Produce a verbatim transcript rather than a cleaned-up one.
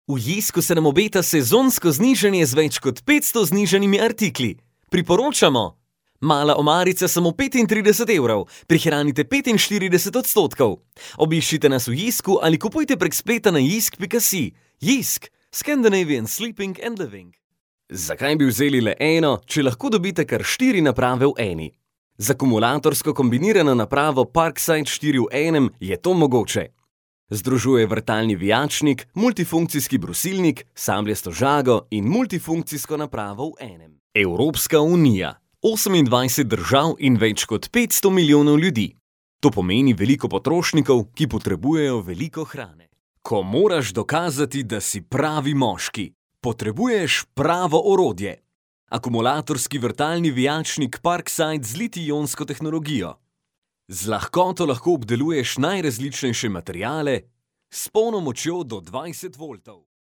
V Jisku se nam obeta sezonsko znižanje z več kot petsto znižanimi artikli. Priporočamo! Mala omarica samo petintrideset evrov, prihranite petinštirideset odstotkov. Obiščite nas v Jisku ali kupujte prek spleta na jisk pika si. Jisk, Scandinavian Sleeping and Living. Zakaj bi vzeli le eno, če lahko dobite kar štiri naprave v eni? Z akumulatorsko kombinirano napravo Parkside štiri v enem je to mogoče. Združuje vrtalni vijačnik, multifunkcijski brusilnik, sabljasto žago in multifunkcijsko napravo v enem. Evropska unija. osemindvajset držav in več kot petsto milijonov ljudi. To pomeni veliko potrošnikov, ki potrebujejo veliko hrane. Ko moraš dokazati, da si pravi moški, potrebuješ pravo orodje. Akumulatorski vrtalni vijačnik Parkside z litij-ionsko tehnologijo. Z lahkoto lahko obdeluješ najrazličnejše materiale s polno močjo do dvajset voltov.